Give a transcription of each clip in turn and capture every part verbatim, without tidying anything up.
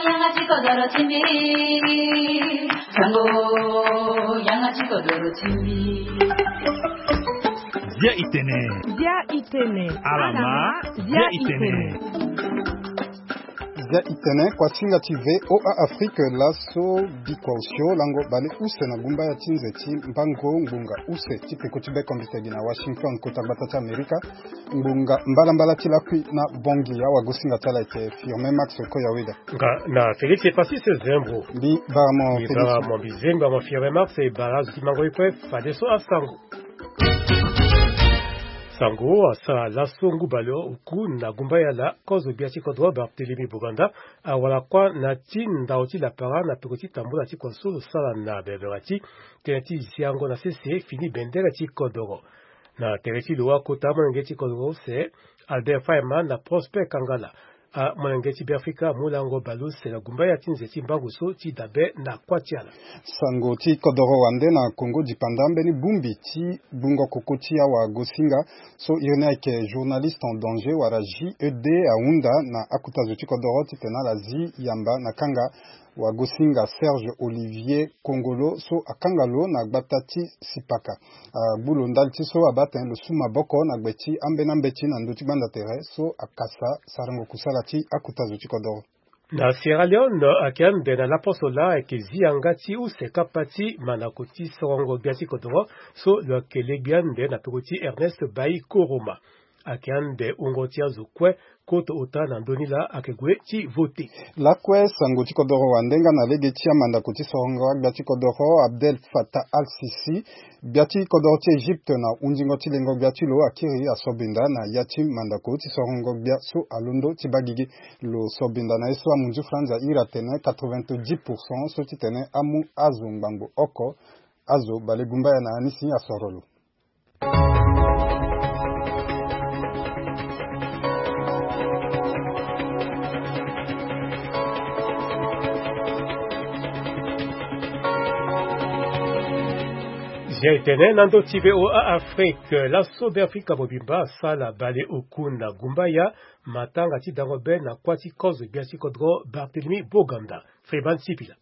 Yanga ti kodoro ti mbi. Sango, yanga ti kodoro ti mbi. Zia itene. Zia itene. Alama. Zia itene. Zia itene, kuasinga ti V O A Afrique, laso bikua osio lango bale use na gumbaya ti nze ti mbango ngbonga use ti peko ti bekombite gi na Washington, kota gbata ti Amerika. Ngbonga mbalambala ti lakui na Bangui, awagosinga ti ala ayeke Firmin Max Koyaweda. Nga na Félix Epasis Zembo. Mbi bara mo Félix. Mbi bara mo, mbi zengba mo Firmin Max e bara azo ti mango ye kue fadeso asango. Sango asara laso ngu bale oku na gumbaya na kozo gbia ti kodro Barthélemy Boganda awara kuâ na ti ndao ti lapara na peko ti tambula ti kua so lo sara na beverati tënë ti ziango na sese fini bendere ti kodoro. Na tere ti lo akota amolenge ti kodoro use Albert Faima na Prosper Kangala, amolenge ti Beafrika amu lango bale use na gumbaya ti nze ti mbangu so ti dabe na kuâ ti ala. Sango ti kodoro wande na Kongo dipanda, mbeni bongbi ti bungo koko ti awagosinga so iri ni ayeke journaliste en danger wala J E D ahunda na akota zo ti kodoro titene ala zi yamba na kanga wagosinga Serge Olivier Kongolo so akanga lo na gbata ti Sipaka. Agbu lo ndali ti so abaa tene lo su maboko na gbe ti ambeni ambeti na ndö ti gbanda tere so akasa sarango kusala ti akota zo ti kodoro. Na Sierra Leone, ayeke ande na laposo laa ayeke zi yanga ti use kapa ti mandako ti sorongo gbia ti kodoro so lo yeke legbi ande na peko ti Ernest Bai Koroma. Ayeke ande wungo ti azo kue koto ota na ndö ni laa ayeke gue ti vote. Lakue sango ti kodoro wande nga na lege ti amandako ti sorongo agbia ti kodoro, Abdel Fattah al-Sisi, gbia ti kodoro ti Egypte na hundingo ti lengo gbia ti lo akiri asobinda na ya ti mandako ti sorongo gbia so alondo ti baa gigi. Lo sobinda na ye so amunzu franzi ahiri atene quatre-vingt-dix pour cent so titene amu azo ngbangbo oko. Azo bale gumbaya na anisi asoro lo. Zia etene na ndö ti V O A Afrique, laso Beafrika mobimba asala bale oku na gumbaya matanga ti dango be na kuâ ti kozo gbia ti kodro Barthélemy Boganda. Freeman Sipila.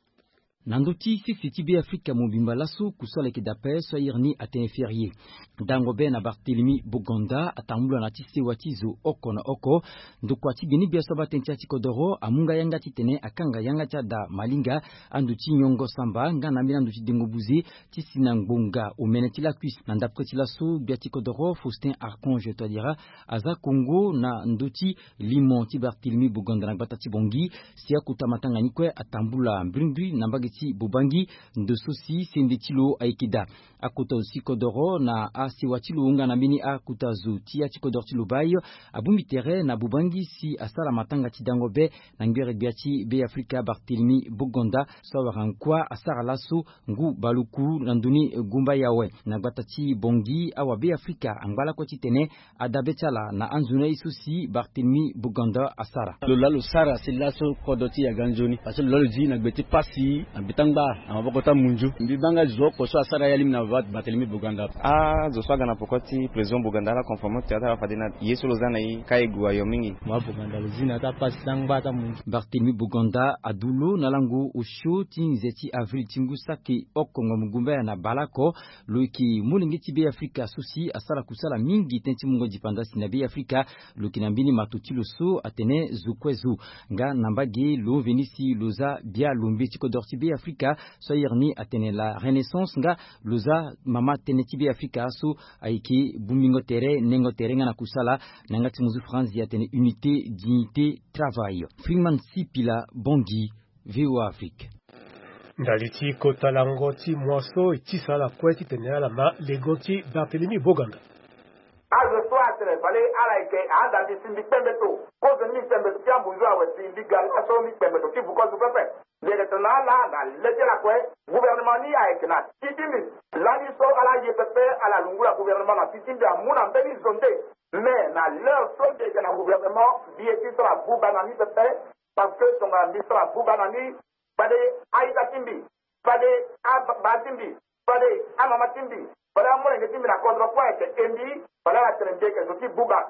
Na ndö ti sese ti Beafrika mobimba laso kusala ayeke dape so airi ni atene férié. Dango be na Barthélemy Boganda atambula na ti sewa ti zo oko na oko. Ndokua ti gbenegbia so abaa tënë ti ya ti kodoro amu nga yanga titene akanga yanga ti ada malinga, ando ti nyongo samba nga na ambeni ando ti dengo buze ti si na ngbonga omene ti lakui. Na ndapre ti laso gbia ti kodoro Faustin Archange Touadéra aza kongo na ndö ti limo ti Barthélemy Boganda na gbata ti Bangui. Si akota matanga ni kue atambula mbrimbri na mbage ti Bobangi, ndo so si sende ti lo ayeke daa. Akota zo ti kodoro na asewa ti lo nga na mbeni akota zo ti ya ti kodoro ti lo bayo abongbi tere na Bobangi si asara matanga ti dango be na ngbere gbia ti Beafrika Barthélemy Boganda so awara nkuâ asara laso ngu bale oku na ndö ni gumbaya awe. Na gbata ti Bangui awabeafrika angba lakue titene adabe ti ala na anzoni aye so si Barthélemy Boganda asara. Lo laa lo sara si laso kodro ti yaga nzoni parce que lo laa lo zi na gbe ti pasi na gbe ti angba na maboko ti amunzu. Mbi baa nga zo oko so asara ya lingbi na Barthélemy Boganda. Azo so aga na poko ti président Boganda ala confirmer ti ala fade na ye so lo za na ye ka e gue ayo mingi. Mo wa Boganda lo zi na ya ti apasi ti angba ti amunzu. Barthélemy Boganda adu lo na lango osio ti nze ti avril ti ngu saki oko ngbonga gumbaya na baleoko. Lo yeke molenge ti Beafrika so si asara kusala mingi tënë ti mungo dipanda si na Beafrika. Lo yeke na mbeni mato ti lo so atene zo kue zo. Nga na mbage lo veni si lo za bia lombe ti kodoro ti Beafrika so airi ni atene la Renaissance nga lo za mama tënë ti Beafrika so ayeke bongbingo tere nengo tere nga na kusala na yanga ti munzu franzi atene unité, dignité, travail. Freeman Sipila, Bangui, V O A Afrique. Ndali ti kota lango ti moi so e tisa ala kue titene ala ma lego ti Barthélemy Boganda. Azo so atene fade ala yeke ahanda mbi si mbi kpe mbeto. Kozo ni mbi kpe mbeto ti ambunzu awe si mbi ga laso mbi kpe mbeto ti vu kozo pepe. Mbi yeke tene na ala na le ti ala kue, gouvernement ni ayeke na ti ti mbi. Lani so ala ye pepe ala lungula gouvernement na ti ti mbi amu na mbeni zo nde. Mais na l'heure so mbi yeke na gouvernement, mbi ye ti sara buba na ni pepe. Parce que tongana mbi sara buba na ni, fade a-ita ti mbi, fade ababa ti mbi, fade amama ti mbi, fade amolenge ti mbi na kodro kue ayeke e mbi, fade ala tene mbi yeke zo ti buba.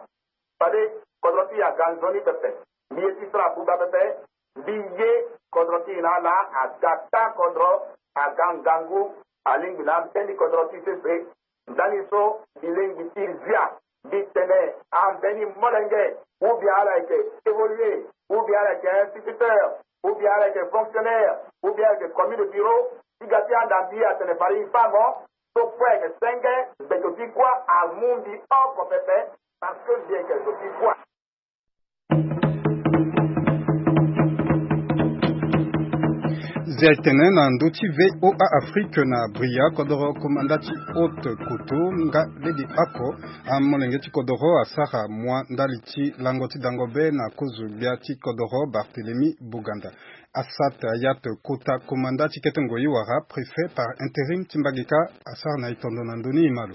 Fade kodro ti yaga nzoni pepe. Mbi ye ti sara buba pepe. Mbi ye Kodro ti e na ala aga taa kodro, aga ngangu, alingbi na ambeni kodro ti sese. Ndani so mbi lingbi ti zia, mbi tene ambeni molenge, ou bien ala yeke évoluer, ou bien ala yeke instituteur, ou bien ala yeke fonctionnaire, ou bien ala yeke commis de bureau, ti ga ti anda mbi atene fade e fa mo. So kue ayeke senge, mbeto ti kuâ amu mbi oko pepe, parce que mbi yeke zo ti kuâ. Zia e tene na ndö ti V O A Afrique na Bria, kodoro komanda ti Haute Koto nga lege oko, amolenge ti kodoro asara mua ndali ti lango ti dango be na kozo gbia ti kodoro Barthélemy Boganda. Assata Hayatou, kota komanda ti kete ngoi wala préfet par intérim ti mbage ka, asara na e tondo na ndö ni, e ma lo.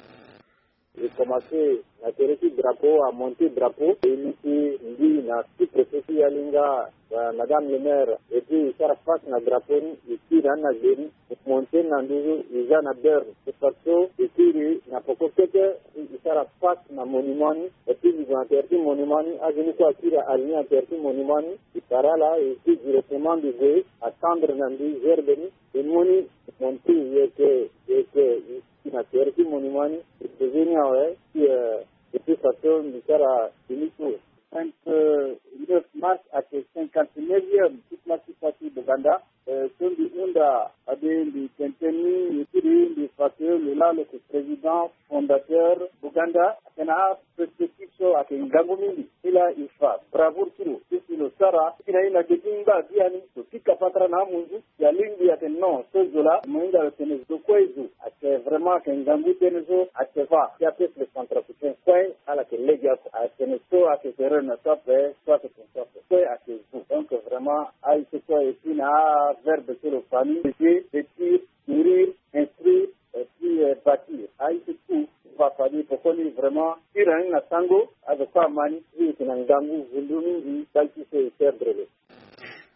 E commencé na tere ti drapeau, amonté drapeau, e lisi mbi na sous-préfet ti Yalinga, euh, madame le maire, et puis e sara face na drapeau ni, e kiri na ni na gbe ni, e monté na nduzu, e za na berne. E fadeso e kiri na poko kete, e sara face na monument ni, et puis e gue na tere ti monument ni, azo ni kue akiri aligné na tere ti monument ni, e para ala, e kiri directement, mbi gue atendre na mbi gerbe ni, e mu ni, e monté, e yeke, e yeke, e na tere ti monument ni, e posé ni awe, si, euh, e ti fadeso mbi sara fini tour. Vingt-neuf mars ayeke cinquante-neuvième ti place ti Faty Boganda. Euh, so mbi hunda fade mbi tene tënë ni, e kiri mbi fa que lo laa lo yeke président fondateur Boganda, ayeke na perspective so ayeke ngangu mingi. Ti laa e fa bravoure ti lo ti si lo sara ti na e na ge ti ngba biani, lo pika patara na amunzu. Alingbi atene non, so zo laa mo hinga lo tene zo kue zo ayeke vraiment ayeke ngangu tënë so ayeke fa ti apeuple centrafricain kue, ala yeke legeoko. Atene so ayeke erreur na so ape, so ayeke tene so ape, kue ayeke zo. Donc vraiment aye so kue, et puis na averbe so lo fa ni, éduquer, vêtir, nourrir, instruire, et puis, euh, bâtir. Aye so tout fa fade poko ni vraiment ti rang na sango, azo kue ama ni, ti e yeke na ngangu vundu mingi, ndali ti so e perdre lo.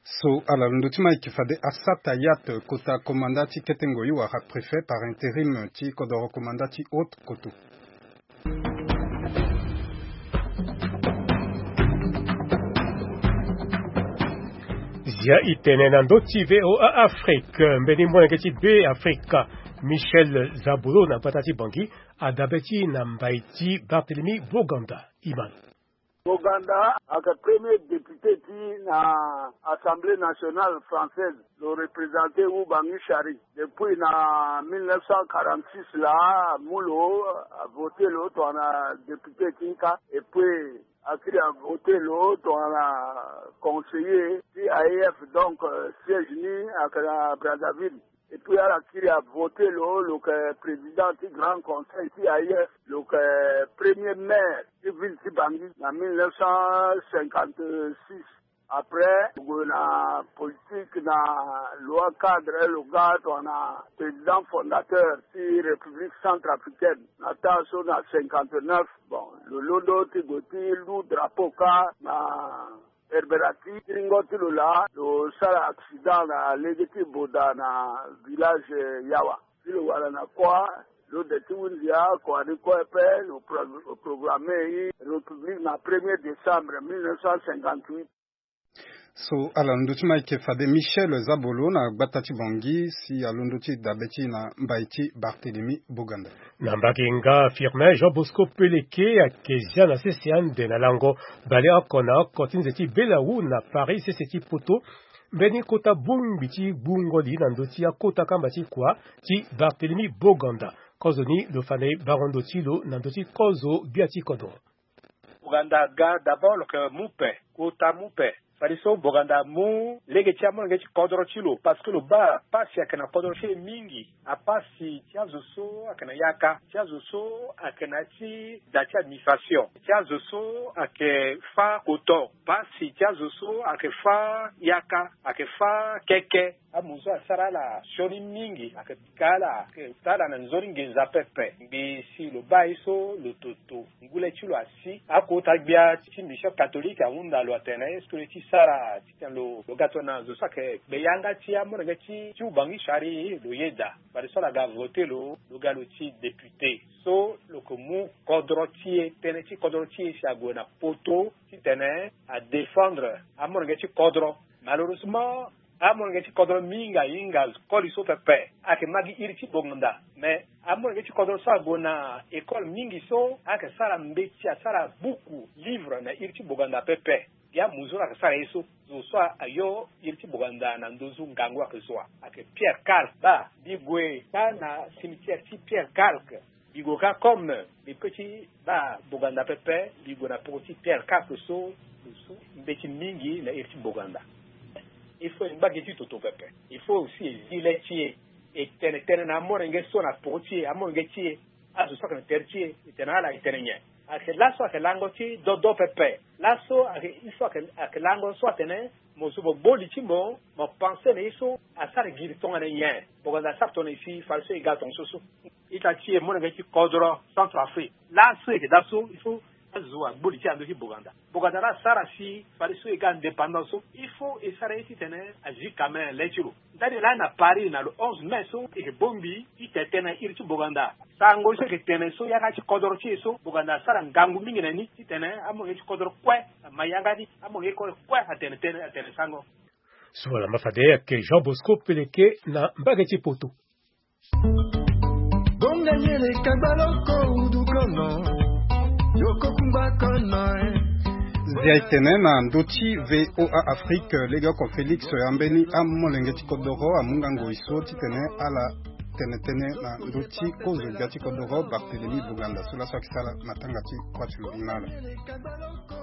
So ala londo ti ma yeke fade Assata Hayatou, kota komanda ti kete ngoi wala préfet par intérim ti kodoro komanda ti Haute Koto. Zia e tene na ndö ti V O A Afrique, mbeni molenge ti Be Afrika, Michel Zabolo na gbata ti Bangui, adabe ti na mbai ti Barthélemy Boganda. E ma lo. Boganda ayeke premier député ti na Assemblée nationale française, lo représenter Oubangui Chari. Depuis na mille neuf cent quarante-six laa, amu lo, avoter lo tongana député ti nka, et puis akiri avoter lo tongana conseiller ti A E F, donc, euh, siège ni ayeke na Brazzaville. Et puis ala kiri avoter lo, lo yeke président ti Grand Conseil ti A E F, lo yeke premier maire ti ville ti Bangui na mille neuf cent cinquante-six. Après lo gue na politique na loi cadre, lo ga tongana président fondateur ti République centrafricaine na taa so na cinquante-neuf. Bon, lo londo ti gue ti lu drapeau kâ na Herberaty, ti ringo ti lo laa, lo sara accident na lege ti Boda na village Yawa. Si lo wara na kuâ, lo de ti hunzi akua ni kue ape, lo pro-, lo programme e République na premier décembre mille neuf cent cinquante-huit. So ala londo ti ma yeke fade Michel Zabolo na gbata ti Bangui, si alondo ti dabe ti na mbai ti Barthélemy Boganda. Na mbage nga, Firmin Jean Bosco Peleke ayeke zia na sese ande na lango baleoko na oko ti nze ti Belawu na Paris, sese ti Poto. Mbeni kota bongbi ti gbungo li na ndö ti akota kamba ti kua ti Barthélemy Boganda. Kozo ni lo fa na e bango ndo ti lo na ndö ti kozo gbia ti kodro. Boganda aga d'abord lo yeke mu pe, kota mu pe. Fadeso Boganda amu lege ti amolenge ti kodro ti lo, parce que lo baa pasi ayeke na kodro ti e mingi. Apasi ti azo so ayeke na yaka, ti azo so ayeke na ya ti da ti administration, ti azo so ayeke fâ koto, pasi ti azo so ayeke fâ yaka, ayeke fâ keke. Amu so asara ala sioni mingi, ayeke pika ala, ayeke ota ala na nzoni nginza pepe. Ngbii si lo baa ye so lo toto, ngu le ti lo asi. Akota gbia ti mission catholique ahunda lo atene est-ce que lo ye ti sara titene lo, lo ga tongana zo so ayeke gbe yanga ti amolenge ti, ti Oubangui Chari lo yeda. Fadeso ala ga voter lo, lo ga lo ti député. So lo yeke mu kodro ti e, tënë ti kodro ti e si ague na Poto titene adéfendre amolenge ti kodro. Malheureusement, Amolenge ti kodro mingi ahinga koli so pepe. Ayeke ma gi iri ti boganda. Mais amolenge ti kodro so ague na école mingi so ayeke sara mbeti, asara buku, livre na iri ti boganda pepe. Gi amu so ayeke sara ye so, zo so ayo iri ti boganda na nduzu ngangu ayeke zo wa. Ayeke Pierre Carl Ba. Mbi gue kâ na cimetière ti Pierre Carl. Mbi gue kâ comme mbi pe ti baa boganda pepe, mbi gue na peko ti Pierre Carl so, so mbeti mingi na iri ti boganda. Il faut e ngba gi ti toto pepe. Il faut aussi e zi le ti e, e tene tënë na amolenge so na peko ti e, amolenge ti e, azo so ayeke na tere ti e, e tene ala e tene nyen. Ayeke laso ayeke lango ti dodo pepe. Laso ayeke, ye so ayeke, ayeke lango so atene mo zo mo gbo li ti mo, mo pense na ye so asara giri tongana nyen. Boganda asara tongana nyen si fade so e ga tongaso so. Ita ti e molenge ti kodro Centrafrique. Laso e yeke da so, il faut azo agbo li ti e na ndö ti boganda. Boganda la asara si fade so e ga indépendance so, il faut e sara ye titene azi quand même le ti lo. Ndani laa na Paris na le onze mai so, e yeke bongbi ti tene tënë na iri ti boganda. Sango so e yeke tene so, yanga ti kodro ti e so, boganda asara ngangu mingi na ni titene amolenge ti kodro kue ama yanga ni, amolenge ti kodro kue atene tënë, atene sango. So ala ma fade ayeke Jean Bosco Peleke na mbage ti poto. Bonga nyele kagba loko udu kono. Yoko kungba kono, eh. Zia e tene na ndö ti V O A Afrique, legeoko Félix ambeni amolenge ti kodoro amu nga ngoi so titene ala tene tënë na ndö ti kozo gbia ti kodoro Barthélemy Boganda so laso ayeke sara matanga ti kuâ ti lo ni na ala.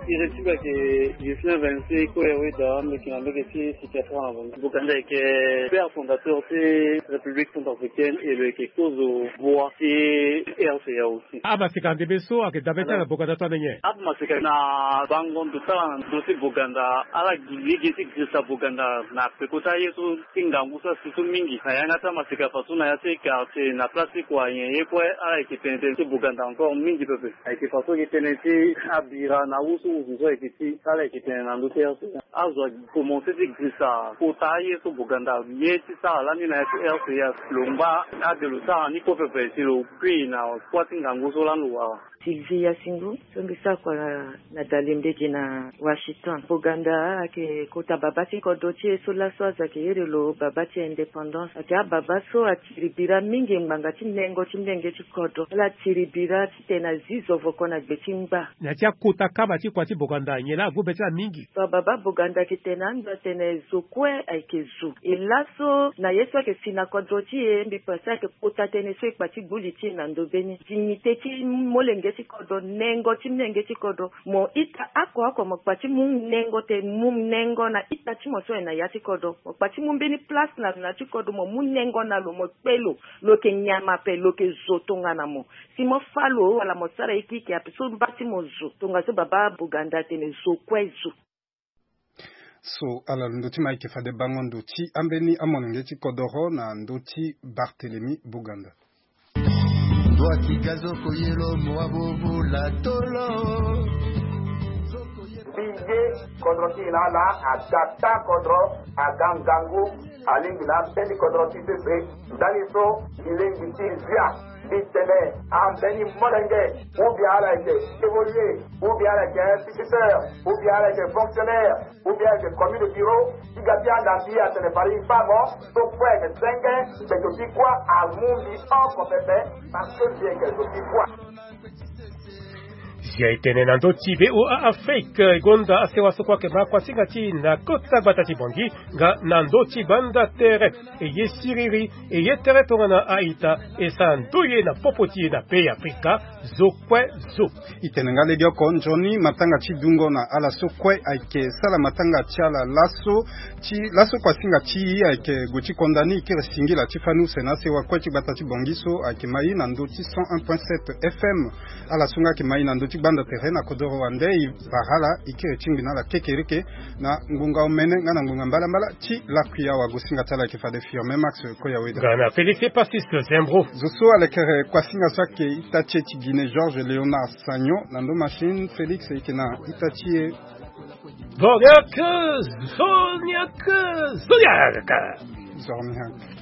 Iri ti lo ayeke Ghislain Vincent Koya Weda, mbi yeke na mbage ti Boganda ayeke père fondateur ti République centrafricaine et lo yeke kozo bua ti R C A aussi. Amaseka ndembe so ayeke dabe ti ala na Boganda so ande nyen? Amaseka na bango ndo ti ala na ndö ti Boganda, ala gi lege ti girisa Boganda na peko ti aye so ti ngangu so asi so mingi. Na yanga ti amaseka faso na ya ti quartier na place ti kua nyen ye kue ala yeke tene tënë ti Boganda encore mingi pepe. Ayeke faso ayeke tene ti abira na awu so wuzu so ayeke ti ala yeke tene na ndö ti R C A. Azo akomanse ti girisa kota aye so Boganda ye ti sara lani na ya ti R C A. Lo ngba ade lo sara ni kue pepe si lo kui na kuâ ti ngangu so lani lo wara. Sylvie Yasingu, so mbi sara kua na, na Dalembe gi na Washington. Boganda ayeke kota babâ ti kodro ti e so laso azo ayeke iri lo babâ ti indépendance. Ayeke ababâ so atiri bira mingi ngbanga ti nengo ti mbenge ti kodro. Ala tiri bira titene azi zovoko na gbe ti ngba. Na ya ti akota kama ti kua ti Boganda, nyen laa ague be ti ala mingi? So ababâ Boganda ayeke tene ando atene zo kue ayeke zo. E laso na ye so ayeke si na kodro ti e, mbi pense ayeke kota tënë so e kpa ti gbu li ti e na ndö mbeni. Dignité ti molenge ti kodro, nengo ti molenge ti kodro. Mo ita oko oko mo kpa ti mu nengo te, mu nengo na ita ti mo so ayeke na ya ti kodro. Mo kpa ti mu mbeni place na lo na ya ti kodro, mo mu nengo na lo, mo kpe lo, lo yeke nyama ape, lo yeke zo tongana mo. Si mo fâ lo wala mo sara ye keke ape so mba ti mo zo. Tongaso babâ Boganda atene zo kue zo. So ala londo ti mo ayeke fade bango ndo ti ambeni amolenge ti kodoro na ndö ti Barthélemy Boganda. Ndua ti ga zo koyelo mo abobo la tolo. Mbi ye kodro ti e na ala, aga ta kodro, aga ngangu, alingbi na ambeni kodro ti pepe. Ndani so mbi lingbi ti zia. Mbi tene ambeni molenge, ou bien ala yeke évoluer, ou bien ala yeke instituteur, ou bien ala yeke fonctionnaire, ou bien ala yeke commis de bureau, ti ga ti anda mbi atene fade mbi fâ mo, so kue ayeke senge, mbeto ti kuâ amu mbi oko pepe, parce que mbi yeke zo ti kuâ. Si aye tene na ndö ti V O A Afrique, e gonda asewa so kue ayeke ma kuasinga ti e na kota gbata ti Bangui, nga na ndö ti gbanda tere. E ye siriri, e ye tere tongana a-ita, e sara ndoye na popo ti e na pays Afrika, zo kue zo. E tene nga legeoko nzoni matanga ti dungo na ala so kue ayeke sara matanga ti ala laso, ti laso kuasinga ti e ayeke gue ti konda ni, e kiri singila ti fani use na asewa kue ti gbata ti Bangui so ayeke ma e na ndö ti cent un point sept F M. Ala so nga ayeke ma e na ndö ti gbanda tere na kodoro wande, e bara ala, e kiri tingbi na ala kekereke na ngonga omene nga na ngonga mbalambala ti lakui awa. Gosinga ti ala ayeke fade Firmin Max Koyaweda. Nga na Félix Epasis Zembro. Zo so alekere kuasinga so ayeke ita ti e ti Guinée, Georges Léonard Sagnon, na ndo machine, Félix ayeke na ita ti e. Zorniak, Zorniak, Zorniak. Zorniak.